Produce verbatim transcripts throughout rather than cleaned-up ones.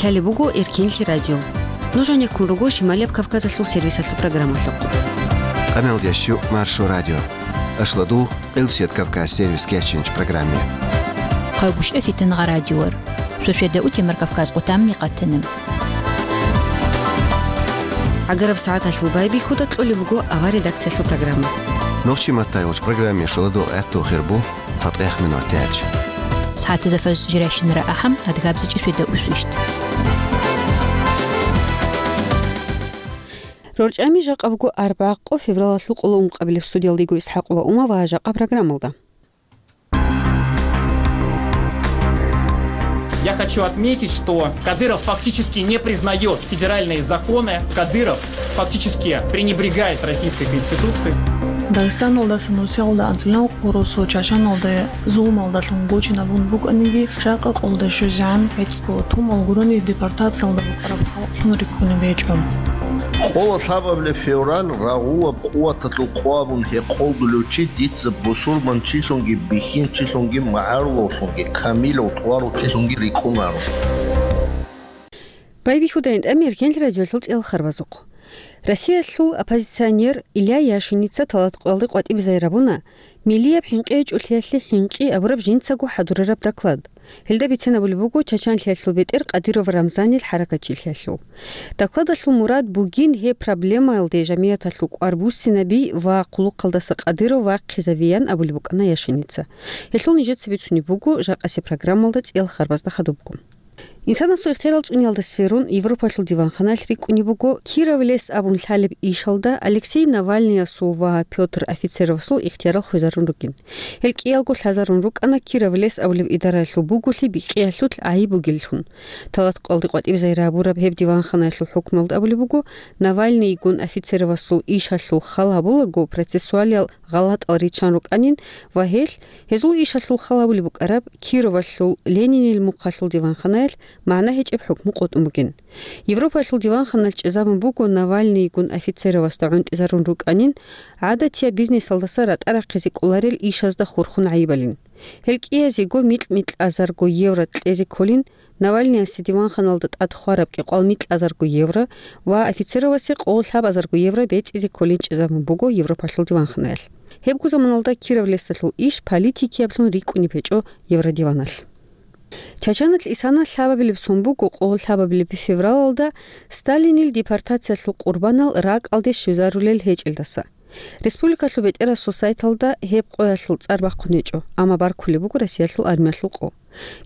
Лъалеб буго Эркенлъи радио. Нуж гьанеккун руго Шималияб Кавказалъул сервисалъул программалъухъ. Къаналдящу Маршо радио. Ашладул Къилбсият Кавказ сервис кечинч программе. Хъайбушев Фитангъа радиор. Шошеда утемар Кавказ къутамни къатанам. Агараб сагӀаталъул байбихьуда кьолеб буго авар редакциялъул программа. Нохчи маттайгъуч программе шоладул гӀатту хирбу цатӀех минуттелч. СагӀатаза фаз жирайщинара ахӀам, адгабзичӀи шведа усвищт. РорчӀами жакъа буго арбякъо февралалъул къоло ункъабилеб студиялдего ИсхӀакъ ва Ума ва жакъа программалда. Я хочу отметить, что Кадыров фактически не признает федеральные законы. Кадыров фактически пренебрегает Российской Конституцией. Дагъистаналдаса нусиялда анцӀила гъурусу Чачаналда зулмалдалъун гочинабун букӀаниги, жакъа къолда щвезегӀан гӀицӀго тумал гурони депортациялда букӀараб халкълъун риккунеб гьечӀо. Къола лъабабилеб февраль рагъулаб къуваталъул къо абун гьекъолдулев чи дица бусурман чилъунги бихьинчилъунги магӀарулавлъунги камилав тӀварав чилъунги рикӀкӀунаро. Байбихьуда гӀинтӀами Эркенлъи радиолъул цӀел харбазухъ. Россиялъул оппозиционер Илья Яшиница талат къоялде къватӀибе загьир гьабуна, миллияб хӀинкъи гьечӀолъиялъе хӀинкъи абураб жинцаго хӀадурараб доклад. Гьелда бицен абулеб буго Чачанлъиялъул бетӀер Кадыров Рамзанил хӀаракатчилъиялъул. Докладалъул мурад бугин гьеб проблемаялде жамигӀаталъул кӀвар буссинаби ва хъулухъалдаса Кадыров вахъизавиян абулеб букӀана Яшиница. Гьелъул нижеца бицунеб буго жакъасеб программалда цӀел харбазда хадубго. Инсанасул ихтиярал цӀуниялда сверун, Европалъул диванханаялъ рикӀкӀунеб буго Кировлес абун лъалеб ишалда Алексей Навальныясул ва Пётр Офицеровасул ихтиярал хвезарун ругин. Гьел кӀиялго лъазарун рукӀана Кировлес абулеб идараялъул буголъи бикъиялъулъ гӀайиб бугеллъун. Талат къоялде къватӀибе загьир гьабураб гьеб диванханаялъул хӀукмуялда абулеб буго, Навальныйгун Офицеровасул ишалъул хал гьабулаго процессуалиял гъалатӀал риччан рукӀанин ва гьелъ, гьезул ишалъул хал гьабулеб букӀараб Кировалъул Ленинил мухъалъул диванханаялъ магӀна гьечӀеб хӀукму къотӀун бугин. Европалъул диванханалъ чӀезабун буго Навальныйгун Офицеровасда гӀунтӀизарун рукӀанин, гӀадатияб бизнесалдаса ратӀа рахъизе кӀоларел ишазда хурхун гӀайибалин. Гьел кӀиязего микь-микьазарго евро кьезе кколин, Навальныясе диванханалда тӀад хвараб кӀикъвал микьазарго евро ва Офицеровасе къоло лъабазарго евро бецӀизе кколин чӀезабун буго Европалъул диванханаялъ. Гьебго заманалда Кировлесалъул иш политикиялъун рикӀкӀунеб гьечӀо Евродиваналъ. Чачаналъ исана лъабабилеб сон буго къоло лъабабилеб февралалда Сталинил депортациялъул къурбанал ракӀалде щвезарулел гьечӀелдаса. Республикалъул бетӀерасул сайталда гьеб къоялъул цӀар бахъун гьечӀо, амма баркулеб буго Россиялъул армиялъул къо.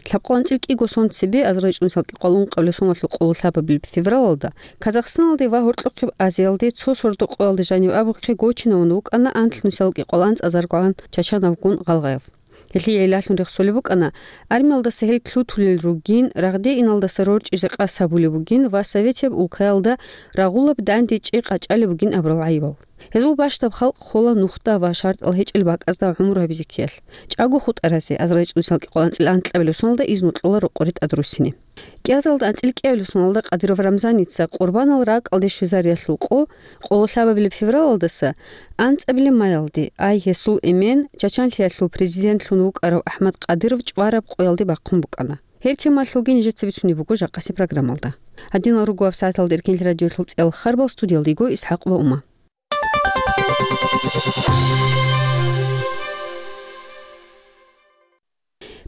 Лъабкъо анцӀил кӀиго сон цебе, азарилчӀун салкӀикъвал ункъабилеб соналъул къоло лъабабилеб февралалда, Казахстаналде ва Гьоркьохъеб Азиялде цо сордо къоялда жаниб абухъе гочинавун вукӀана анлънусиялкӀикъвал анцӀазаргогӀан чачанавгун гъалгъаяв. Гьелъие гӀиллалъун рехсолеб букӀана, армиялдаса гьел лъутулел ругин, рагъде иналдаса рорчӀизе къасд гьабулеб бугин ва советияб улкаялда рагъулаб данде чӀей къачӀалеб бугин абурал гӀайибал. Гьезул бащдаб халкъ хола нухда ва шартӀал гьечӀел бакӀазда гӀумру гьабизе ккеялъ. ЧӀаго хутӀаразе, азарилчӀун салкӀикъвал анцӀил анкьабилеб соналда изну кьола рокъоре тӀад руссине. КӀиазаралда анцӀил кӀиабилеб соналда Кадыров Рамзаница къурбанал ракӀалде щвезариялъул къо къоло лъабабилеб февралалдаса анцӀабилеб маялде, ай гьесул эмен, Чачанлъиялъул президентлъун вукӀарав АхӀмад Кадыров чӀвараб къоялде бахъун букӀана. Гьеб темалъулги нижеца бицунеб буго жакъасеб программалда. Гьадинал руго вебсайталда Эркенлъи радиолъул цӀел харбал, студиялда йиго ИсхӀакъ ва Ума.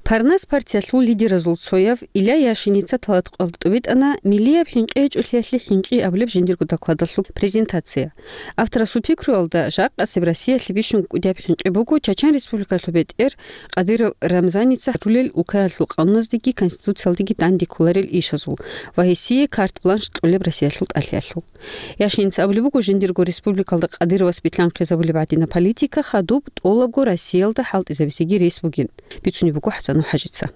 Парнас партиялъул лидеразул цояв Илья Яшиница талат къоялда тӀубитӀана миллияб хӀинкъи гьечӀолъиялъе хӀинкъи абулеб жиндирго докладалъул презентация. Авторасул пикруялда, жакъасеб Россиялъе бищун кӀудияб хӀинкъи буго Чачан Республикалъул бетӀер Кадыров Рамзаница рулел улкаялъул къануназдеги конституциялдеги данде кколарел ишазул ва гьесие карт-бланш кьолеб Россиялъул тӀалъиялъул. Яшиница абулеб буго, жиндирго республикалда Кадыровас билълъанхъизабулеб гӀадинаб политика хадуб тӀолабго Россиялда хӀалтӀизабизеги рес бугин, бицунеб буго ХӀасанов ХӀажица.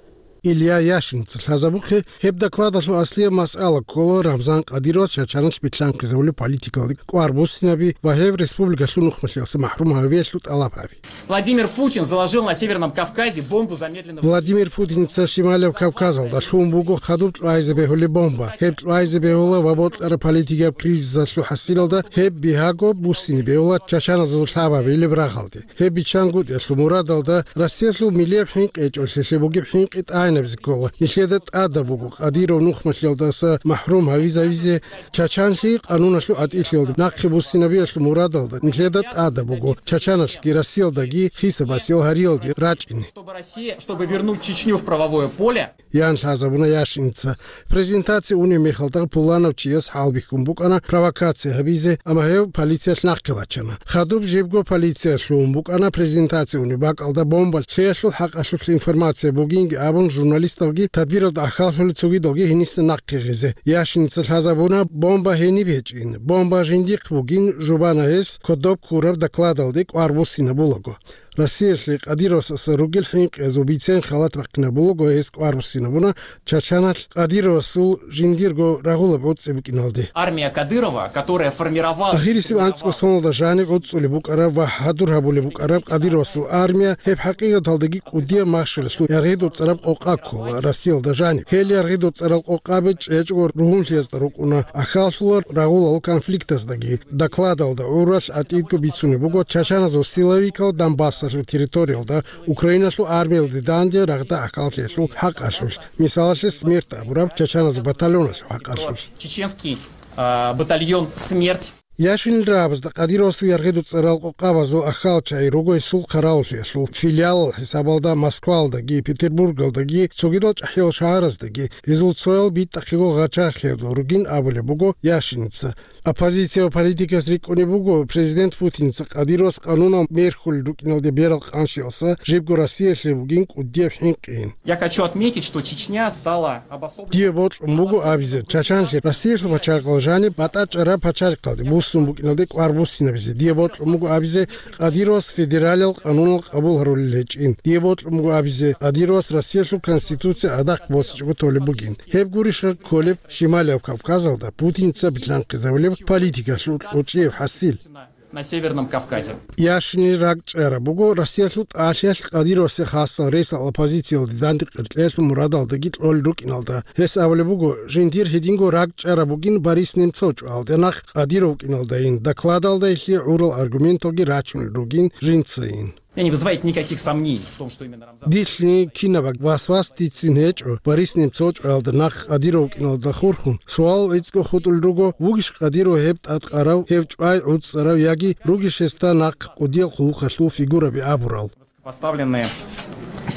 Илья Яшиница лъазабухъе гьеб докладалъул аслияб масъала ккола Рамзан Кадыровас Чачаналъ билълъанхъизабулеб политикалда кӀвар буссинаби ва гьев республикалъул нухмалъиялъа махӀрум гьавиялъул тӀалаб гьаби. Владимир Путин заложил на Северном Кавказе бомбу замедленного... Владимир Путиница Шималияб Кавказалда лъун буго хадуб кьвайзе бегьулеб бомба. Гьеб кьвайзе бегьула ва бокьараб политикияб кризисалъул хӀасилалда гьеб бигьаго буссине бегьула чачаназул лъабабилеб рагъалде. Гьеб биччан гутӀиялъул мурадалда Россиялъул миллияб хӀинкъи гьечӀолъиялъе бугеб хӀинкъи тӀай гьабизе ккола. Нилъеда тӀадаб буго Кадиров нухмалъиялдаса махӀрум гьавизавизе, чачанлъи къануналъул гӀатӀилъиялда нахъе буссинабиялъул мурадалда нилъеда тӀадаб буго чачаналъги Россиялдаги хисабасел гьариялде рачӀине. Чтобы Россия, чтобы вернуть Чечню в правовое поле. Ян лъазабуна Яшинца. Презентация унеб мехалда пуланав чияс хӀалбихьун букӀана провокация гьабизе, амма гьев полициялъ нахъе вачана. Хадуб жибго полиция лъугьун букӀана презентация унеб бакӀалда бомба лъеялъул хӀакъалъулъ информация бугинги абун, журналисталги тадбиралда ахьаллъули цогидалги гьениса нахъе гъезе. Яшинца лъазабуна бомба гьениб гьечӀин, бомба жиндихъ бугин, жубана гьес кодоб ккураб докладалде кӀвар буссинабулаго. Россиялъе Кадировасаса ругел хӀинкъиязул бицен халат бахъинабулаго гьес кӀвар буссинабуна Чачаналъ Кадировасул жиндирго рагъулаб гӀуцӀи букӀиналде. Армия Кадырова, которая формировалась... Ахирисеб анцӀго соналда жаниб гӀуцӀулеб букӀараб ва хӀадур гьабулеб букӀараб Кадировасул армия гьеб хӀакъикъаталдаги кӀудияб машгьуралъул яргъидул цӀараб къокъа ккола Россиялда жаниб. Гьел яргъидул цӀарал къокъаби чӀечӀого ругьунлъиязда рукӀуна, ахьаллъула рагъулал конфликтаздаги. Докладалда гӀуралъ гӀатӀидго бицунеб буго чачаназул силовикал Донбассалъул территориялда Украиналъул армиялде данде рагъда ахьаллъиялъул хӀакъалъулъ, мисалалъе, СМЕРТ абураб чачаназул батальоналъул хӀакъалъулъ. Чеченский, а, батальон «Смерть». Яшинил рагӀабазда Кадировасул яргъидул цӀарал къокъабазул ахьал чагӀи руго гьесул хъаравуллъиялъул филиалал хӀисабалда Москваялдаги, Петербургалдаги, цогидал чӀахӀиял шагьараздаги. Гьезул цоял битӀахъего гъачагълъиялда ругин абулеб буго Яшинца. Оппозиция ва политикас рикӀкӀунеб буго, президент Путинца Кадировас къанунал мерхьулел рукӀиналде берал къанщиялса жибго Россиялъе бугин кӀудияб хӀинкъи. Я хочу отметить, что Чечня стала обособленной... Дие бокьун буго абизе, Чачанлъи Россиялъул пачарихъал жаниб батӀачӀараб пачарихъалде буссун букӀиналде кӀвар буссинабизе. Дие бокьун буго абизе, Кадировас федералиял къанунал къабул гьарулел гьечӀин. Дие бокьун буго абизе, Кадировас Россиялъул Конституция гӀадахъ босичӀого толеб бугин. Гьеб гурищха кколеб Шималияб Кавказалда Путинца билълъанхъизабулеб политикалъул кьучӀияб хӀасил? На Северном Кавказе. Яшинил ракӀчӀараб буго Россиялъул тӀалъиялъ Кадировасе хасал рейсал оппозициялде данде къеркьеялъул мурадалдаги кьолел рукӀиналда. Гьес абулеб буго, жиндир гьединго ракӀчӀараб бугин Борис Немцов чӀвалде нахъ Кадиров вукӀиналдайин, докладалда гьелъие гӀурал аргументалги рачунел ругин жинцайин. Меня не вызывает никаких сомнений в том, что именно Рамзан... Дилъни кинаб васвас дицин гьечӀо, Борис Немцов чӀвалда нахъ Кадиров вукӀиналда хурхун. Суал гӀицӀго хутӀулел руго, вугищ Кадиров гьеб тӀадкъарав, гьев чӀвай гӀуцӀарав яги ругищ гьесда нахъ кӀудиял хъулухъалъул фигураби абурал? Поставленные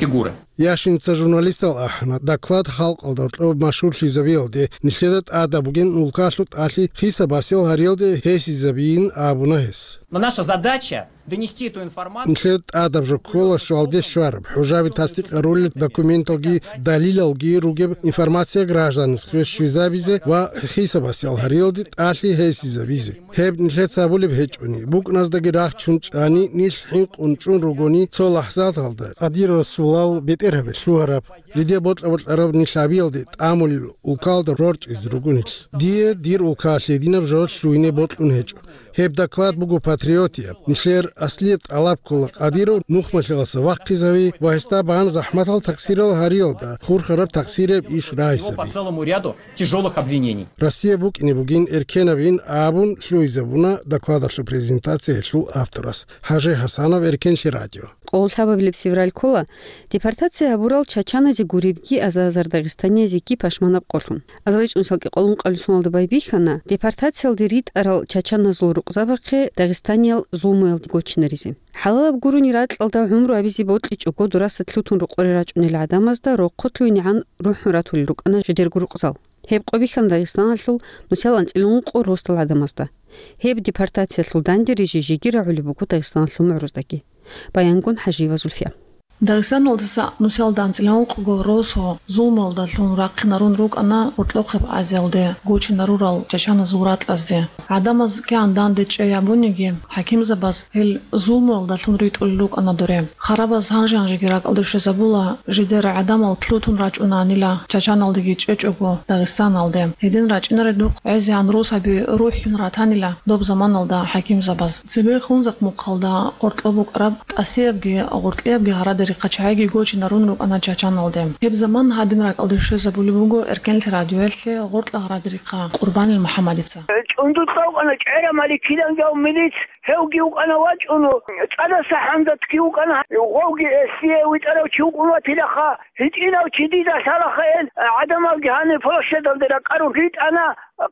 фигуры. Яшинца журналистал ахӀана, доклад халкъалда гьоркьоб машгьурлъизабиялде, нилъеда тӀадаб бугин улкалъул тӀалъи хисабасел гьариялде гьесизабиин абуна гьес. Но наша задача донести эту информацию... Нилъер тӀадаб жо ккола щвалде щвараб, хӀужаби тасдикъ гьарулел документалги далилалги ругеб информация гражданасухъе щвезабизе ва хисабасел гьариялде тӀалъи гьесизабизе. Гьеб нилъеца абулеб гьечӀони, букӀназдаги рахчун чӀани, нилъ хӀинкъун чӀун ругони цо лахӀзаталда, Кадировасулал бетӀергьабе лъугьараб, жидер бокьа-бокьараб нилъ гьабиялде тӀамулел улкалда рорчӀизе ругонилъ. Дие дир улкалъ гьединаб жо лъугьине бокьун гьечӀо. Гьеб доклад буго патриотияб. Нилъер аслияб тӀалаб ккола Кадиров нухмалъиялдаса вахъизави ва гьесда бан захӀматал такъсирал гьариялда хурхараб такъсирияб иш рагьизаби. По целому ряду тяжёлых обвинений. Россия букӀине бугин эркенабин абун лъугьизабуна докладалъул презентациялъул авторас ХӀажи ХӀасанов, Эркенлъи радио. Къоло лъабабилеб февраль ккола депортация гьабурал чачаназе гуребги аза-азар дагъистаниязеги пашманаб къолъун. Азарилъун салкӀи къоло ункъабилеб соналда байбихьана депортациялде ритӀарал чачаназул рукъзабахъе дагъистаниял зулмуялде гочинаризе. ХӀалалаб гурони ракьалда гӀумру абизе бокьичӀого дураса лъутун рокъоре рачӀунел гӀадамазда рохъо лъугьинегӀан рухӀун ратулел рукӀана жидерго рукъзал. Гьеб къо бихьана Дагъистаналъул нусал анцӀила ункъо росдал гӀадамазда. Гьеб депортациялъул данде рижи жеги рагӀулеб буго Дагъистаналъул мугӀруздаги. Баянгун ХӀажиева Зульфия. Дагъистаналдаса нусал анцӀила ункъго росу зулмуялдалъун рахъинарун рукӀана Гъоркьохъеб Азиялде гочинарурал чачаназул ракьазде. ГӀадамаз кигӀан данде чӀей абуниги, хӀакимзабаз гьел зулмуялдалъун ритӀулел рукӀана доре. Харабаз гьанже-гьанжеги ракӀалде щвезабула жидер гӀадамал лъутун рачӀунанила чачаналдеги чӀечӀого Дагъистаналде. Гьедин рачӀинаредухъ гӀезегӀан росаби рухӀун ратанила доб заманалда хӀакимзабаз. Цебе Хунзахъ мухъалда къоркьоб букӀараб тӀасиябги гъоркьиябги гьарадер Гьехъа чагӀиги гочинарун рукӀана Чачаналде. Гьеб заман гьадин ракӀалде щвезабулеб буго Эркенлъи радиоялъе гъоркьа гъарадрихъа Къурбанил МухӀаммадица. ЧӀундуз цӀалкъана чӀера Маликилан гьав милиц, гьевги вукӀана вачӀун, цӀадаса ХӀамзатги вукӀана, гъовги эсие витӀарав чи вукӀун ватилаха, гьитӀинав чи дида лъалаха ил, гӀадамалги гьаниб площадалде ракӀарун ритӀана.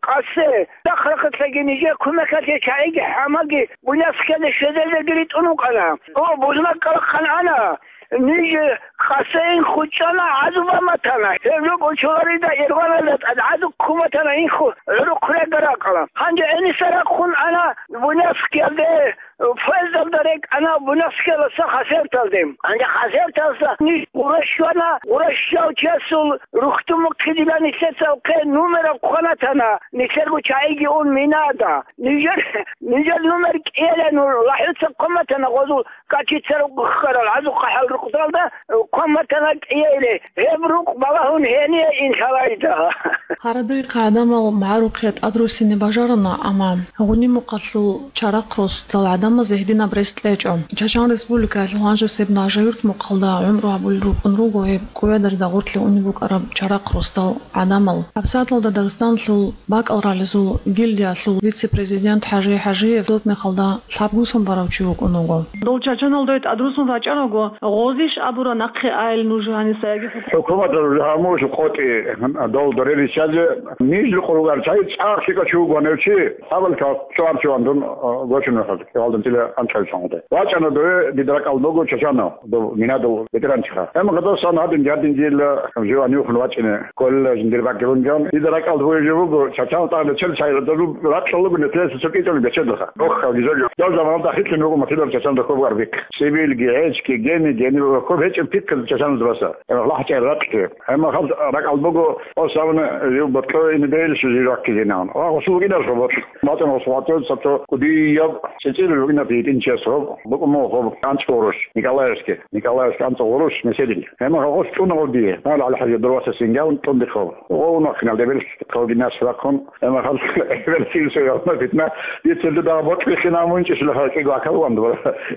Къасе, дахъ-рахъалъаги нижер кумекалъе чагӀиги хӀамаги Буйнакскиялде щвезаризеги ритӀун вукӀана. О, Бузнакъала хъан ана, ниж Къасе инхъ чӀана, гӀазу баматана. Гьеб жо кӀочоларида Ирваналда тӀад гӀазу ккуматана инхъ гӀурухъ регаракъала. Гьанже гӀениса рахъун ана Буйнакскиялде. Поездалда рекӀана Буйнакскиялдаса Хасавюрталде. Гьанже Хасавюрталдаса ниж гъура щвана, гъура щвав чиясул рухьдумухъе дила нилъеца хъе нумераб хъванатана, нилъерго чагӀиги ун минада. Нижер, нижер нумер кӀиялъе нуж лахӀуца хъваматана гъозул качица рукъарал, гӀазу хъахӀал рукъзалда хъваматана кӀиялъе. Гьеб рукъ балагьун гьение ин лъалайда. Гьарадерихъ гӀадамал магӀарухъе тӀадруссине бажарана, амма гъунимухъалъул чарахъ росдал гӀадамазе гьединаб рес кьечӀо. Чачан Республикаялъул гьанжесеб Нажаюрт мухъалда гӀумру гьабулел рукӀун руго гьеб КӀуядарда гъорлъе унеб букӀараб чарахъ росдал гӀадамал. ГьабсагӀаталда Дагъистаналъул бакӀал ралъизул гильдиялъул вице-президент ХӀажи ХӀажиев доб мехалда лъабгусон барав чи вукӀун вуго. Дол Чачаналде тӀадруссун рачӀараго, гъозищ абура нахъе айил нуж гьаниса яги хӀукумат? ХӀукуматалъул гьамуш къотӀи дол дорел риччазе ниж рукъ ругар чай цӀакъ щикӀа чи вугони чи, гьабал чӀвар чӀван дун, а, гочун хӀал, кӀалдин тила анцӀай чӀван гъоде. ВачӀана дове дида ракӀал буго Чачанав, дов Минадов ветеранчиха. Гьеб гъадасан гьадин жардин дила живан юхун вачӀине кколила жиндир бакӀилунган. Дида ракӀал бугеб жо буго, Чачанав тӀагӀде чел чайра дозу ракьалуго нетелъе цо кӀичӀони бечедалха. Охха, гизо жо. Дав заманалда хитӀун вуго матилар Чачанав хобар бик. Сибилги, гьечги, гени, гени, хоб гьечӀеб пикказ Чачанав баса. Гьеб лахӀчӀай ракьги. Гьеб мехалъ ракӀал буго, о, савна, жив ботлъо ин бейли шузи ракки генан. Ва гъусул гинар хо ботл. Матан гъусул гъатӀо сабто кудияб цӀицӀил ругинаб гьитӀинчияс хоб, букӀумо хоб, анцӀ гъурущ, Николаевский, Николаевский анцӀ гъурущ, меседил. Гьеб мехалъ гъус чӀуна гъоб дие. Гьал ГӀалихӀажи дурваса сингавун тӀун дихъ хоб. О, унахъинал дебелъ хоб гинас рахъун. Гьеб мехалъ эбел сил соялна питна. Дицелде дагъа ботлихина мунчӀищ лаха кӀиго акал ван дура.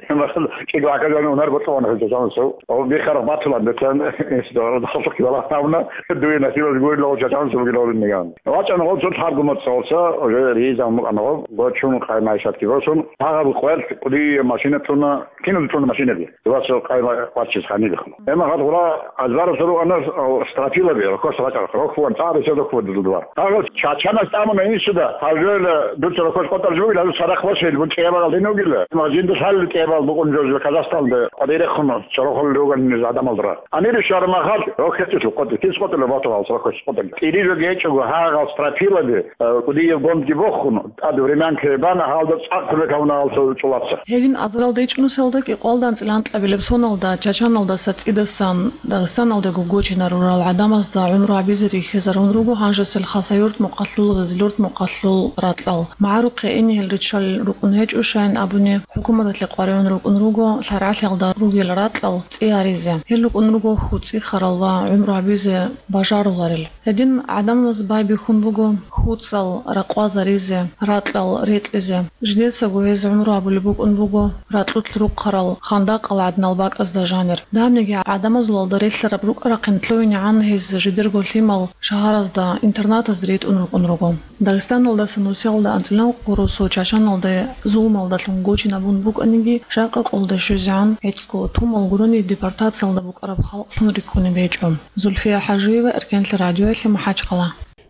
Гьеб мехалъ кӀиго акал ван унар ботлъо ван хӀуса чанцо. О, бихарах батулан бетан, ис дора дахлах кивала тавна, дуе насибас гуйла о чачан субги лорин ниган. ВачӀан гъол цо лъабгу моцӀ гъолса, уже ризан мукъан гъоб, гочун къаймайшатги гъосун, тагъаб къоялъ кӀудие машина туна, кинал туна машинаби. Дубасо къайма ваччиз ханилихъун. Гьеб мехалъ гъура азбарасда руана, о, стропилаби, рохьос ракӀарах, рохьван, цӀарасе рохьван дудуа. Гьагъас Чачанас тӀамуна инсуда, гьалжояла дуца рохьос къотӀар жугила, гьазу садахъ башел, бу кӀиябал гьин вугила. Мажинда лъалли кӀиябал букӀун жо, жо Казахстанда къварирехъун, чорохол руган низ адамалдра. Амири шармахал, рохьетилъу къотӀи, кис къотӀила батугъал рохьос къотӀи. ТӀири жо гечӀого, гьагъал стропилаби, э, кӀудияб гондги бохун, тӀад времянка бана, гьалда цӀакъ кумек гьавуна гьал цо чӀулаца. Гьедин азарал дечӀунусалда кӀикъоялда анцӀила анкьабилеб соналда Чачаналдаса цӀидасан Дагъистаналдаго гочинарурал гӀадамазда гӀумру гьабизе рихьизарун руго гьанжесел Хасавюрт мукъалъул, Гъизлюрт мукъалъул ракьал. МагӀарухъе ине гьел риччалел рукӀун гьечӀо, щайин абуни, хӀукуматалъе къваригӀун рукӀун руго лъаргӀалъиялда ругел ракьал цӀи гьаризе. Гьел рукӀун руго хьуцӀихъарал ва гӀумру гьабизе бажаруларел. Гьедин гӀадамаз байбихьун буго хьуцӀал ракъвазаризе, ракьал рекьизе. Жидецаго гьез гӀумру гьабулеб букӀун буго ракьулъ рухъарал хандакъал гӀадинал бакӀазда жанир. Дагьабниги гӀадамазулалда релълъараб рукӀарахъин лъугӀинегӀан гьез жидерго лъимал шагьаразда, интернатазда ритӀун рукӀун руго. Дагъистаналдаса нусиялда анцӀила ункъго росу Чачаналде зулмалдалъун гочинабун букӀаниги, жакъа къолда щвезегӀан гӀицӀго тумал гурони депортациялда букӀараб халкълъун рикӀкӀунеб гьечӀо. Зульфия ХӀажиева, Эркенлъи радиоялъе, МахӀачхъала.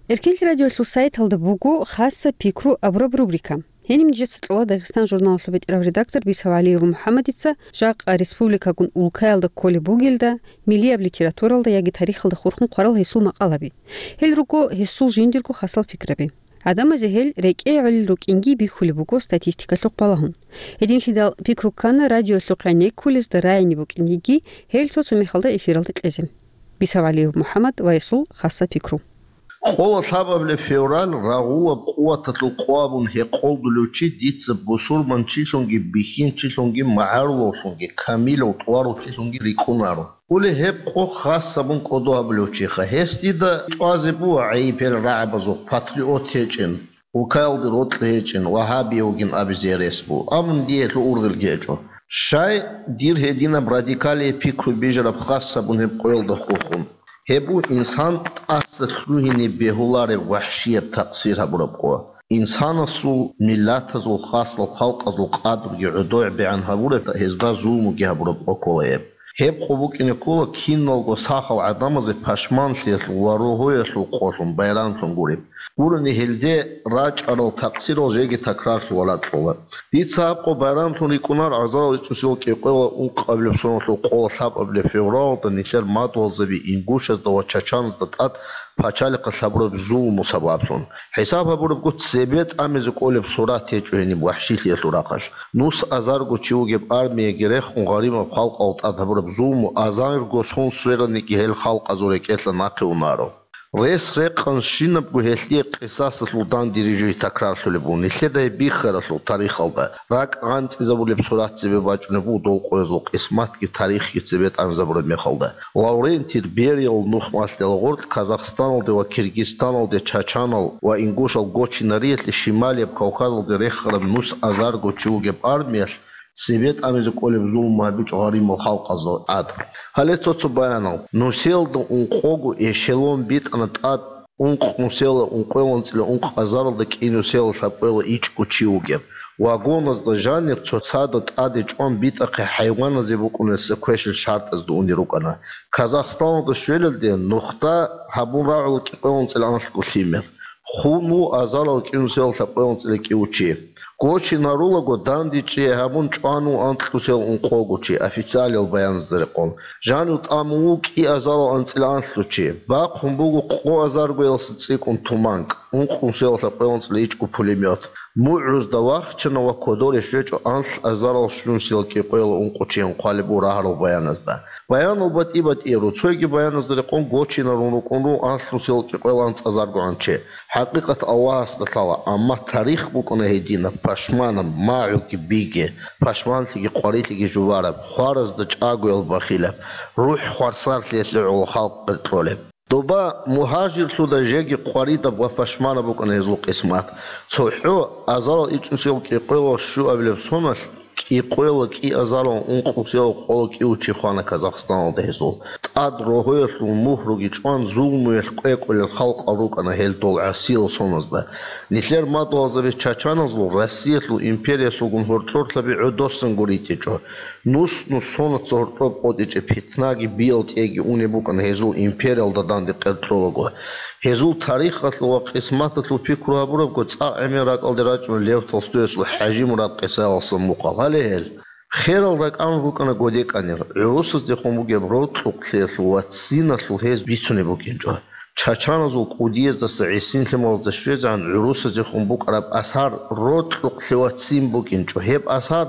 Эркенлъи радиоялъул сайталда буго «Хасса пикру» абураб рубрика. Гьениб нижеца кьола Дагъистан журналалъул бетӀерав редактор Бисавалиев МухӀаммадица жакъа республикагун улкаялда кколеб бугелда, миллияб литературалда яги тарихалда хурхун хъварал гьесул макъалаби. Гьел руго гьесул жиндирго хасал пикраби. ГӀадамазе гьел рекӀее гӀолел рукӀинги бихьулеб буго статистикалъухъ балагьун. Гьединлъидал пикру ккана радиоялъухъ гӀенеккулезда рагӀине букӀин йиги, гьел цо-цо мехалда эфиралда кьезе. Бисавалиев МухӀаммад ва гьесул хасса пикру. Къола лъабабилеб февраль рагъулаб къуваталъул къо абун гьекъолдулев чи дица бусурманчилъунги, бихьинчилъунги, магӀарулавлъунги, камилав тӀварав чилъунги рикӀкӀунаро. Гьули гьеб къо хас абун кӀодо гьабулев чиха. Гьес дида чӀвазе буго гӀайиб гьел рагӀабазухъ, патриот гьечӀин, улкаялде рокьи гьечӀин, вагьабияв вугин абизе рес буго. Амма дие гьелъул ургъелги гьечӀо. Щай дир гьединаб радикалие пикру бижараб хас гьабун гьеб къоялда хухун? Гьеб бу инсан тӀаса лъугьине бегьулареб вахӀщияб такъсир гьабураб къо. Инсанасул, миллатазул, хаслал халкъазул къадрги гӀодобегӀан гьабураб, гьезда зулмуги гьабураб къо ккола гьеб. Гьеб къо букӀине ккола киналго сахал гӀадамазе пашманлъиялъул ва рогьоялъул къолъун байрамлъун гуреб. Гурони гьелде рачӀарал такъсирал жеги такрарлъула ракьула. Дица гьаб къо байрамлъун рикӀкӀунар азарал ичӀнусиял кӀикъоялда ункъабилеб соналъул къола лъабабилеб февралалда нилъер мадугьалзаби ингушазда ва чачаназда тӀад пачалихъалъ гьабураб зулму сабаблъун. ХӀисаб гьабурабго, цебе тӀамизе кӀолеб сурат гьечӀо гьениб вахӀщилъиялъул рахъалъ. Нус азарго чи вугеб армияги рехун, гъаримаб халкъал тӀад гьабураб зулму азарго сон свераниги гьел халкъазул рекӀелъа нахъе унаро. Рес-рекъан щинабго гьелъие къисасалъул данде рижи такрарлъулеб буго нилъеда гьеб бихьаралъул тарихалда. РакӀ гъанцӀизабулеб сурат цебе бачӀунеб буго дол къоязул къисматги тарихги цебе тӀамизабураб мехалда. Лаврентий Бериял нухмалъ гьел гъоркь Казахстаналде ва Киргизстаналде чачанал ва ингушал гочинариялъе Шималияб Кавказалде рехараб нус азарго чи вугеб армиялъ цебе тӀамизе кӀолеб зулму гьабичӀо гъаримал халкъазда тӀад. Гьале цо-цо баянал. Нусиялда ункъого эшелон битӀана тӀад ункъ нусиялда ункъоялда анцӀила ункъ азаралда кӀи нусиялда лъабкъоялда ичӀго чи вугеб. Вагоназда жанир цоцазда тӀаде чӀван битӀахъе хӀайваназе букӀунесда квешал шартӀазда унел рукӀана. Казахстаналда щвелалде нухда гьабун рагӀула кӀикъоялда анцӀила анлъго лъимер. Хун ву азарал кӀи нусиялда лъабкъоялда анцӀила кӀиго чи. Гочинарулаго дандечӀей гьабун чӀван ву анкьнусиялда ункъого чи, официалиял баяназда рекъон. Жанив тӀамун ву кӀи азарал анцӀила анлъго чи. Бахъун буго къо азаргоялдаса цӀикӀкӀун туманкӀ, ункънусиялда лъабкъоялда анцӀила ичӀго пулемёт. МугӀрузда вахчана ва кодоре щвечӀо анлъ азарал щунусиялда кӀикъоялда ункъо чиян хъвалеб буго рагьарал баяназда. Баянал батӀи-батӀияр ру, цойги баяназда рекъон гочинарун рукӀун ру анлънусиялда кӀикъоялда анцӀазаргогӀан чи. ХӀакъикъат Аллагьасда лъала, амма тарих букӀана гьединаб, пашманаб, магӀуги биги, пашманлъиги къварилъиги жубараб, хваразда чӀагоял бахилаб, рухӀ хварсарлъиялъе гӀоло халкъ къеркьолеб. Доба мугьажирлъуда жеги къваридаб ва пашманаб букӀана гьезул къисмат. ЦохӀо азарал ичӀнусиялда кӀикъоялда щуабилеб соналъ, кӀикъоялда кӀи азарал ункънусиялда къоялда кӀиго чи хвана Казахстаналда гьезул. ТӀад рогьоялъул мугьруги чӀван, зулмуялъ кӀвекӀолел халкъал рукӀана гьел дол гӀасиял соназда. Нилъер мадугьалзаби чачаназул Россиялъул империялъулгун гьоркьорлъаби гӀодосан гуритӀичӀо. Нус-нус сонаца гьоркьоб къотӀичӀеб питнаги биял тӀеги унеб букӀана гьезул империялда данде къеркьолаго. Гьезул тарихалъул ва къисматалъул пикру гьабурабго, цӀакъ гӀемер ракӀалде рачӀуна Лев Толстоясул ХӀажимурад къисаялъул мухъал. Гьале гьел. Херал ракӀалда рукӀана годекӀанир, гӀурусаздехун бугеб рокьукълъиялъул ва циналъул гьез бицунеб букӀинчӀо. Чачаназул кӀудияздаса гӀисинлъималазда щвезегӀан гӀурусаздехун букӀараб асар рокьукълъи ва цин букӀинчӀо. Гьеб асар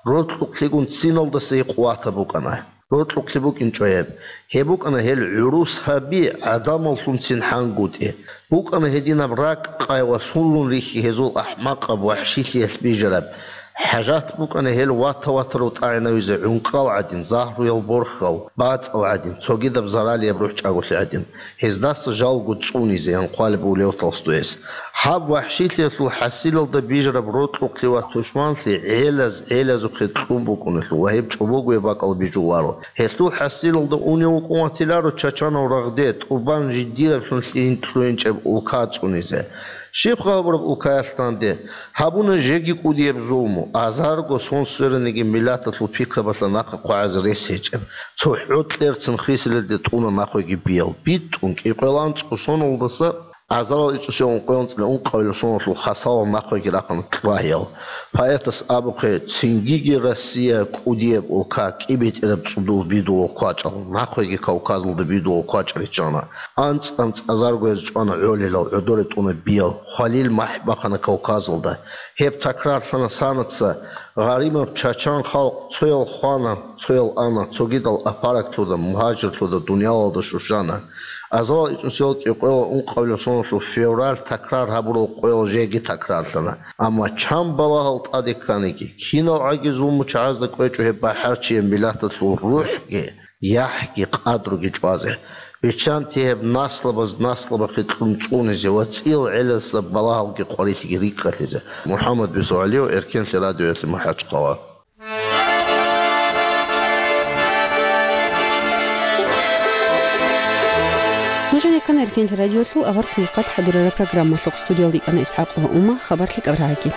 рокьукълъигун циналдаса гьикъуватаб букӀана. Рокьукълъи букӀинчӀо гьеб. Гьеб букӀана гьел гӀурус гьаби гӀадамаллъунцин хӀангутӀи. БукӀана гьединаб ракӀ къай ва сунлъун рихьи гьезул ахӀмакъаб вахӀщилъиялъ бижараб. ХӀажат букӀана гьел вата-ватарав тӀагӀинавизе гӀункӀкӀал гӀадин, загьруял борхьал, бацӀал гӀадин, цогидаб заралияб рухӀчӀаголъи гӀадин. Гьездаса жалго цӀунизе, ян хъвалеб буго Лев Толстояс. Гьаб вахӀщилъиялъул хӀасилалда бижараб рокьукълъи ва тушманлъи гӀелаз-гӀелазухъе кьун букӀуналъул ва гьеб чӀобогояб бакӀал бижуларо. Гьелъул хӀасилалда унев вукӀун ватиларо чачанав рагъде, тӀубан жидераблъун лъугьин-, лъугьинчӀеб улка цӀунизе. Щибха гьабураб улкаялъ данде? Гьабуна жеги кӀудияб зулму, азарго сон свераниги миллаталъул пикрабалъа нахъа хъвагӀазе рес гьечӀеб. ЦохӀо кьерцин хисилалде тӀуна нахъеги биял. БитӀун кӀикъоялда анцӀго соналдаса азарал ичӀнусиялда ункъоялда анцӀила ункъабилеб соналъул хасалал нахъеги рахъана кьвагьиял. Поэтас абухъе, цингиги Россия кӀудияб улка, кӀибетӀераб цӀудул бидулал квачӀал, нахъеги Кавказалда бидулал квачӀал риччана. АнцӀ-анцӀ азарго гьез чӀвана гӀолилал, гӀодоре тӀуна биял, хвалил махӀ бахъана Кавказалда. Гьеб такрарлъана санаца, гъаримаб чачан халкъ цоял хвана, цоял ана, цогидал апараклъуда, мугьажирлъуда, дуниялалда щущана. Азарал ичӀнусиялда кӀикъоялда ункъабилеб соналъул февраль такрар гьабурал къоял жеги такрарлъана. Амма чан балагьал тӀаде кканиги, кинал гӀаги зулму чагӀазда кӀвечӀо гьеб бахӀарчияб миллаталъул рухӀги, яхӀги, къадруги чӀвазе. Биччанте гьеб наслабаз наслабахъе кьун цӀунизе ва цӀиял гӀелазда балагьалги къварилъиги рикӀкӀалъизе. МухӀаммад Бисугьалиев, Эркенлъи радиоялъе, МахӀачхъала. Жо-, рекана Эркенлъи радиолъул авар хъулухъалъ хӀадурараб программалъухъ. Студиялда йикӀана ИсхӀакъ ва Ума, хабар лъикӀаб рагӀаги.